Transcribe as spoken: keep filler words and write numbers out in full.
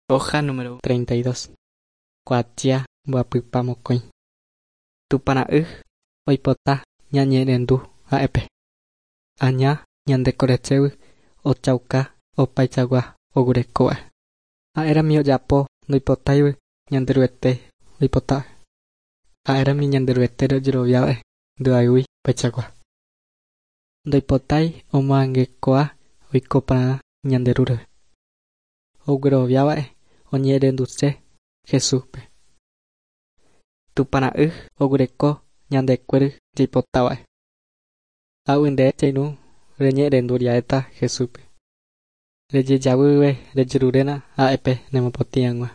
Hoja número treinta y dos. Kuatia mbohapypa mokõi. Tupãra'y oipota ñañe'ẽrendu ha'épe. Aña ñandekorechévy ochauka opaichagua oguerekóva. Ha'érami ojapo ndoipotáigui Ñanderuete oipota. Ha'érami Ñanderuetére ojeroviáva'e ndoayhúi opaichagua. Ndoipotái omoangekóa oiko porã ñande rúre. Ogueroviáva'e oñe'ẽrenduse Jesúspe. Tupãra'y oguereko ñandekuéry jaipotáva'e. Águi nde che irũ reñe'ẽrendu riaéta Jesúspe. Rejejavyve rejeruréna ha'épe nemopotĩ hag̃ua.